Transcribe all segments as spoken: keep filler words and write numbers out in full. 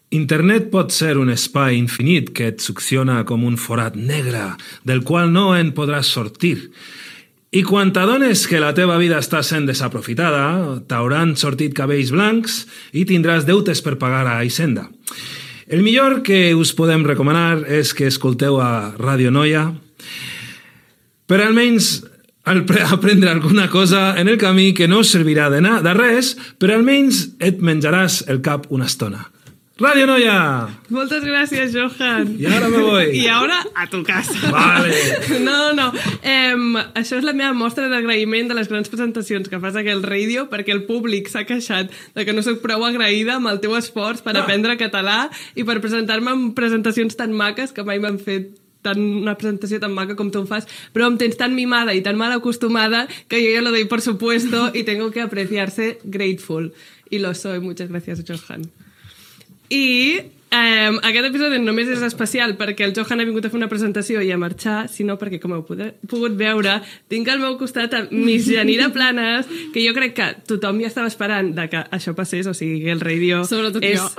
Internet pot ser un espai infinit que et succiona com un forat negre del qual no en podràs sortir. I quan t'adones que la teva vida està sent desaprofitada, t'hauran sortit cabells blancs i tindràs deutes per pagar a Hisenda. El millor que us podem recomanar és que escolteu a Radio Noia per almenys aprendre alguna cosa en el camí que no us servirà de, de res, però almenys et menjaràs el cap una estona. Radio Noia! Moltes gràcies, Johan. I ara me voy. I ara a tu casa. Vale. No, no. Eh, això és la meva mostra d'agraïment de les grans presentacions que fas a aquell ràdio, perquè el públic s'ha queixat de que no soc prou agraïda amb el teu esforç per ah. aprendre català i per presentar-me en presentacions tan maques que mai m'han fet tan, una presentació tan maca com tu em fas, però em tens tan mimada i tan mal acostumada que yo ya lo doy por supuesto y tengo que apreciarse grateful. Y lo soy. Muchas gracias, Johan. I eh, aquest episodi només és especial perquè el Johan ha vingut a fer una presentació i a marxar, sinó perquè, com heu pogut veure, tinc al meu costat a Miss Yanira Planes, que jo crec que tothom ja estava esperant de que això passés, o sigui, que el radio... Sobretot és... jo.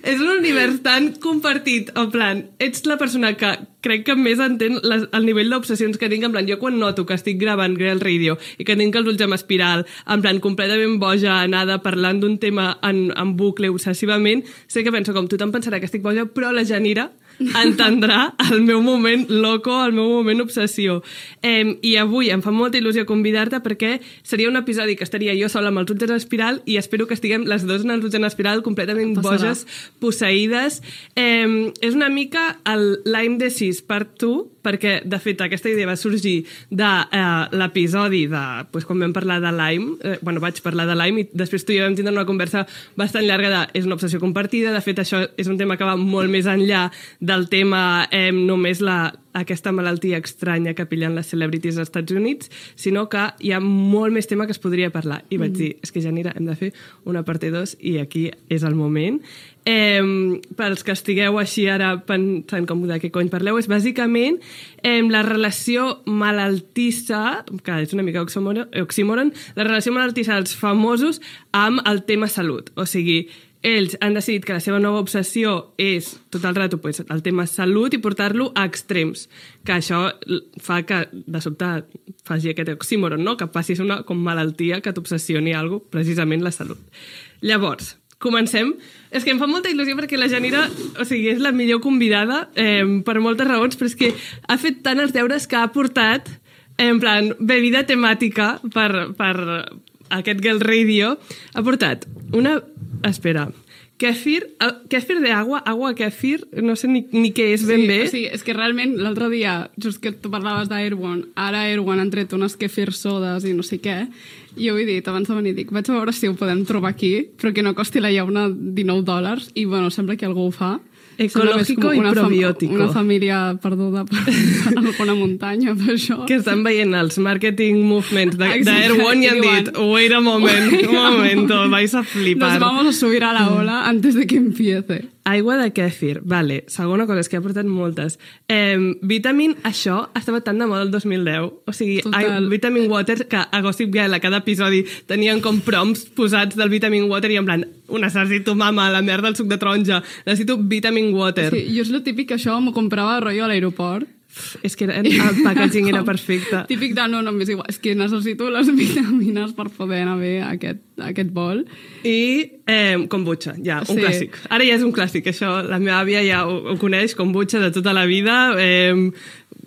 És un univers tan compartit, en plan, ets la persona que crec que més entén les, el nivell d'obsessions que tinc, en plan, jo quan noto que estic gravant Grail Radio i que tinc els ulls en espiral, en plan, completament boja, anada, parlant d'un tema en, en bucle obsessivament, sé que penso com tothom pensarà que estic boja, però la Yanira entendrà el meu moment loco, el meu moment obsessió. Eh, I avui em fa molta il·lusió convidar-te perquè seria un episodi que estaria jo sola amb els ulls en espiral i espero que estiguem les dues en els ulls en espiral completament Passarà. boges, posseïdes. Eh, és una mica el Lyme Disease part two, perquè, de fet, aquesta idea va sorgir de eh, l'episodi de, pues, quan vam parlar de Lyme, eh, bueno, vaig parlar de Lyme i després tu i jo vam tindre una conversa bastant llarga de és una obsessió compartida, de fet això és un tema que va molt més enllà del tema eh, només la, aquesta malaltia estranya que pillen les celebrities als Estats Units, sinó que hi ha molt més tema que es podria parlar. I vaig dir, és que Yanira, hem de fer una parte dos i aquí és el moment. Eh, pels que estigueu així ara pensant com de què cony parleu, és bàsicament eh, la relació malaltissa, que és una mica oxímoron, la relació malaltissa dels famosos amb el tema salut. O sigui, ells han decidit que la seva nova obsessió és tot el rato pues, el tema salut i portar-lo a extrems, que això fa que de sobte faci aquest oxímoron, no? Que passis una com malaltia que t'obsessioni alguna cosa, precisament la salut. Llavors, comencem. És que em fa molta il·lusió perquè la Yanira, o sigui, és la millor convidada eh, per moltes raons, però és que ha fet tant els deures que ha portat en plan bebida temàtica per, per aquest Girl Radio. Ha portat una... Espera, kefir, kefir de agua, agua kefir, no sé ni, ni què és ben sí, bé. Sí, és que realment l'altre dia, just que tu parlaves d'Airone, ara Airone han tret unes kefir sodes i no sé què, i jo he dit, abans de venir, dic, vaig a veure si ho podem trobar aquí, però que no costi la llauna dinou dòlars, i bueno, sembla que algú ho fa. Ecològico i probiòtico. Una família perduda per alguna muntanya, per això. Que estan veient els marketing movements d'Airone i han dit, wait a moment, un momento, vais a flipar. Nos vamos a subir a la ola antes de que empiece. Aigua de kèfir, vale. Segona cosa, és que ha portat moltes. Eh, vitamin, això estava tan de moda el dos mil deu. O sigui, I, vitamin water, que a Gossip Girl a cada episodi tenien com prompts posats del vitamin water i en plan, necessito mama, la merda del suc de taronja, necessito vitamin water. Sí, jo és lo típic que això m'ho comprava rotllo a l'aeroport. És que era, el packaging era perfecte. Típic de no, no, m'és igual. És que necessito les vitamines per poder anar bé a aquest, a aquest bol. I eh, kombucha, ja, un sí. clàssic. Ara ja és un clàssic, això. La meva àvia ja ho, ho coneix, kombucha de tota la vida. Eh,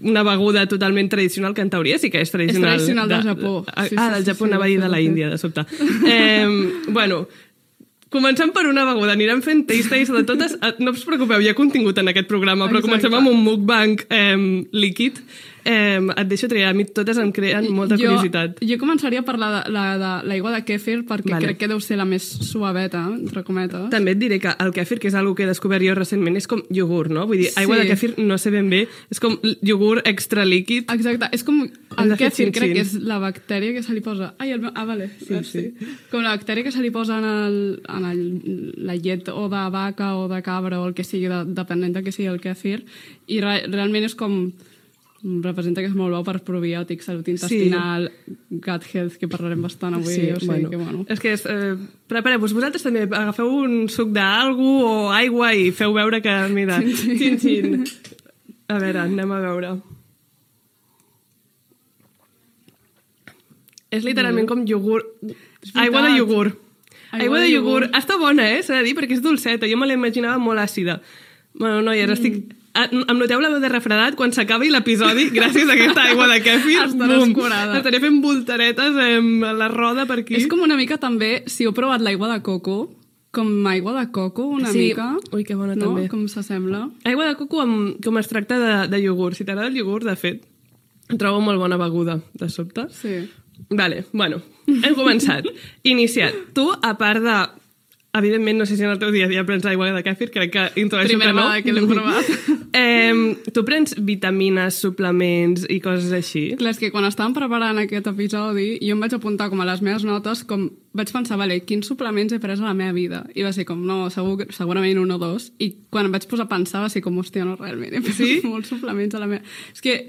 una beguda totalment tradicional, que en teoria sí que és tradicional. És tradicional de, del Japó. Ah, sí, del sí, Japó, sí, anava a dir de la Índia, de sobte. Eh, bueno... Comencem per una beguda, anirem fent taste-taste de totes. No us preocupeu, hi ha contingut en aquest programa, però Exacte. Comencem amb un mukbang eh, líquid. Eh, et deixo triar, a mi totes em creen molta jo, curiositat. Jo començaria a parlar de l'aigua de, de kèfir perquè vale. Crec que deu ser la més suaveta, entre cometes. També et diré que el kèfir, que és una que he descobert jo recentment, és com iogurt, no? Vull dir, aigua sí. de kèfir no sé ben bé, és com iogurt extra líquid. Exacte, és com el kèfir, xin, crec xin. que és la bactèria que se li posa... Ai, el meu... Ah, vale. Sí, sí. Com la bactèria que se li posa en, el, en el, la llet o de vaca o de cabra o el que sigui, de, depenent de què sigui el kèfir, i re, realment és com... representa que és molt bo per probiòtic, salut intestinal, sí. gut health, que parlarem bastant avui. Sí, o sigui bueno. que, bueno. És que és, eh, prepareu-vos, vosaltres també agafeu un suc d'algú o aigua i feu veure que, mira, xin, xin. A veure, anem a veure. És literalment com iogurt. Aigua de iogurt. Aigua, Aigua de iogurt. iogurt. Està bona, eh? S'ha de dir, perquè és dolceta. Jo me l'imaginava molt àcida. Bueno, noies, mm. estic... Em noteu la veu de refredat? Quan s'acabi l'episodi, gràcies a aquesta aigua de kèfir, estaràs curada. Estaré fent voltaretes a la roda per aquí. És com una mica també, si heu provat l'aigua de coco, com aigua de coco, una sí. mica. Ui, que bona, no? també. Com s'assembla. Aigua de coco amb, com es tracta de, de iogurt. Si t'agrada el iogurt, de fet, trobo molt bona beguda, de sobte. Sí. Vale, bueno, hem començat. Iniciat. Tu, a part de... Evidentment, no sé si en el teu dia a dia prens aigua de kèfir, crec que intueixo que no. Primera vegada que l'hem provat. eh, tu prens vitamines, suplements i coses així? Clar, és que quan estàvem preparant aquest episodi, jo em vaig apuntar com a les meves notes, com vaig pensar, vale, quins suplements he pres a la meva vida? I va ser com, no, segur, segurament un o dos. I quan em vaig posar a pensar, va ser com, hòstia, no, realment, he pres sí? molts suplements a la meva... És que,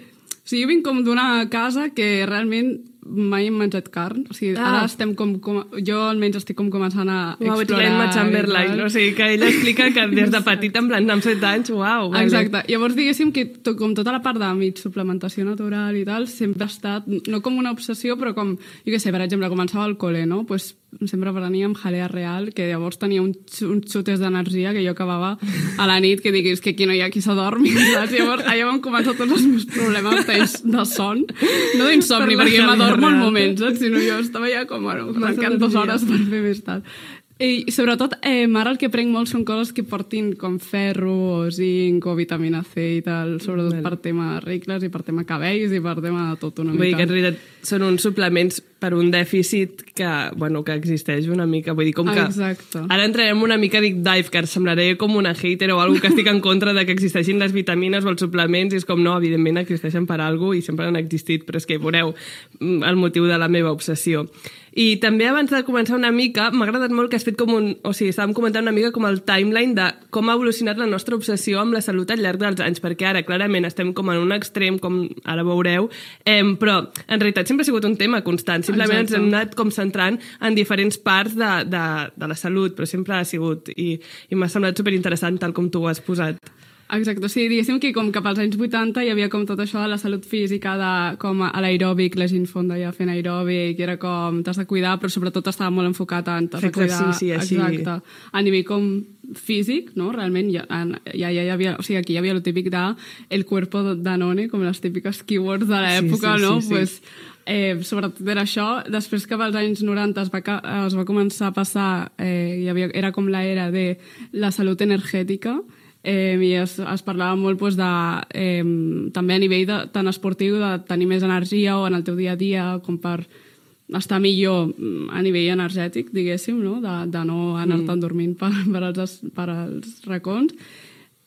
o sigui, jo vinc com d'una casa que realment mai hem menjat carn, o sigui, ah. ara estem com, com... Jo almenys estic com començant a wow, explorar... Uau, ets Chamberlain, o sigui, que ella explica que des de petit, en plan, amb set anys, uau, vale. Exacte. Llavors, diguéssim que to, com tota la part de mig suplementació natural i tal, sempre ha estat, no com una obsessió, però com, jo què sé, per exemple, començava al col·le, no? Pues sempre prenia amb jalea real, que llavors tenia un, uns xutes d'energia que jo acabava a la nit, que diguis que aquí no hi ha qui s'adormi, saps? Llavors, allà van començar tots els meus problemes de son, no d'insomni, per perquè m'adormo al moment, saps? Sinó jo estava ja com, bueno, marcant dues hores per fer més tard. I sobretot, eh, ara el que prenc molt són coses que portin com ferro o zinc o vitamina C i tal, sobretot well. per tema regles i per tema cabells i per tema de tot una mica. Vull dir que en realitat són uns suplements per un dèficit que, bueno, que existeix una mica. Vull dir, com que... Exacte. Ara entrarem una mica deep dive, que semblaré com una hater o algú que estic en contra de que existeixin les vitamines o els suplements, i és com, no, evidentment existeixen per alguna cosa i sempre han existit, però és que veureu el motiu de la meva obsessió. I també abans de començar una mica, m'ha agradat molt que has fet com un... O sigui, estàvem comentant una mica com el timeline de com ha evolucionat la nostra obsessió amb la salut al llarg dels anys, perquè ara clarament estem com en un extrem, com ara veureu, eh, però en realitat sempre ha sigut un tema constant, simplement Exacte. ens hem anat com centrant en diferents parts de, de, de la salut, però sempre ha sigut, i, i m'ha semblat superinteressant tal com tu ho has posat. Exacte, o sigui, diguéssim que com cap als anys vuitanta hi havia com tot això de la salut física, de com a l'aeròbic, la gent fonda ja fent aeròbic, era com t'has de cuidar, però sobretot estava molt enfocat en t'has de cuidar. Exercici, així. Exacte. A nivell com físic, no? Realment ja, ja, ja hi havia, o sigui, aquí hi havia el típic de el cuerpo Danone, com les típiques keywords de l'època, sí, sí, sí, no? Sí, sí. Pues, eh, sobretot era això. Després que als anys noranta es va, es va començar a passar, eh, hi havia, era com l'era de la salut energètica, Eh, i es, es parlava molt pues, de, eh, també a nivell de, tant esportiu, de tenir més energia o en el teu dia a dia, com per estar millor a nivell energètic, diguéssim, no? de, de no anar-te'n mm. dormint per, per, als, per als racons.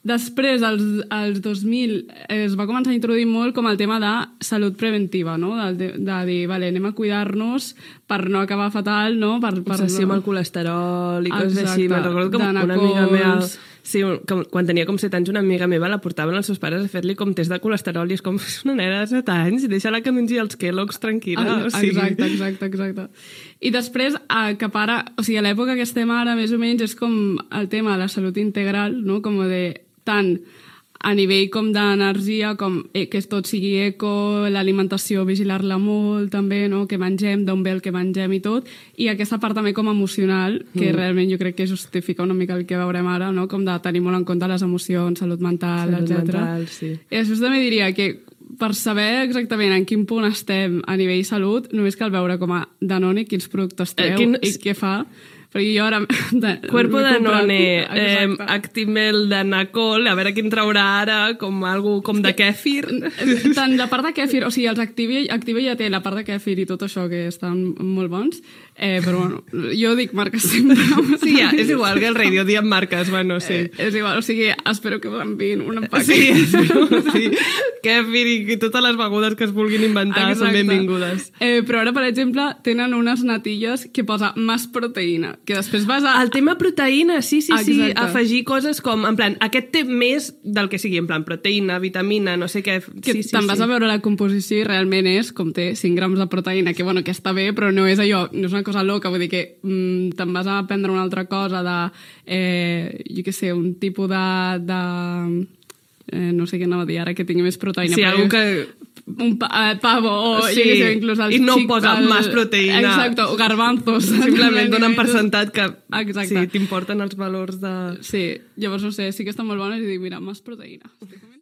Després, als, als dos mil, es va començar a introduir molt com el tema de salut preventiva, no? de, de dir, vale, anem a cuidar-nos per no acabar fatal, no? Per, per Obsessió no... amb el colesterol i coses Exacte. així. Me'n recordo com una amiga meva... Sí, com, quan tenia com set anys, una amiga meva la portaven els seus pares a fer-li com test de colesterol i és com, és una nena de set anys, deixa-la que mengi els Kellogg's tranquil·la. Ah, o sigui... Exacte, exacte, exacte. I després, eh, cap ara, o sigui, a l'època que estem ara, més o menys, és com el tema de la salut integral, no? Com de tant a nivell com d'energia, com eh, que tot sigui eco, l'alimentació, vigilar-la molt, també, no? Que mengem, d'on ve el que mengem i tot, i aquesta part també com emocional, que mm. realment jo crec que justifica una mica el que veurem ara, no? Com de tenir molt en compte les emocions, salut mental, salut etcètera. Mental, sí. I després també diria que per saber exactament en quin punt estem a nivell salut, només cal veure com a Danone quins productes treu eh, quin... i què fa. Perquè jo ara... De, Cuerpo de Danone, eh, Actimel de Nacol, a veure quin traurà ara, com algú com de kèfir. Tant la part de kèfir, o sigui, els Active, Active ja té la part de kèfir i tot això, que estan molt bons, eh, però bueno, jo dic marques sempre. Sí, ja, és igual que el radio, diem marques, bueno, sí. Eh, és igual, o sigui, espero que m'enviïn un empaque. Sí, espero, sí. Kèfir i totes les begudes que es vulguin inventar Exacte. Són benvingudes. Eh, però ara, per exemple, tenen unes natilles que posa més proteïna. que després vas a... El tema proteïna, sí, sí, sí, Exacte. afegir coses com, en plan, aquest té més del que sigui, en plan, proteïna, vitamina, no sé què... Que sí, sí, te'n vas sí. a veure la composició i realment és com té cinc grams de proteïna, que bueno, que està bé, però no és allò, no és una cosa loca, vull dir que mm, te'n vas a prendre una altra cosa de, eh, jo què sé, un tipus de... de eh, no sé què anava a dir ara, que tingui més proteïna. Sí, però algú jo- que... un pa, eh, pavo o Sí, jo què sé, inclús el i no xic, posa el- més proteïna. Exacte, o garbanzos. Simplement donen per sentat que Exacte. sí, t'importen els valors de... Sí, llavors no sé, sí que estan molt bones i dic, mira, més proteïna.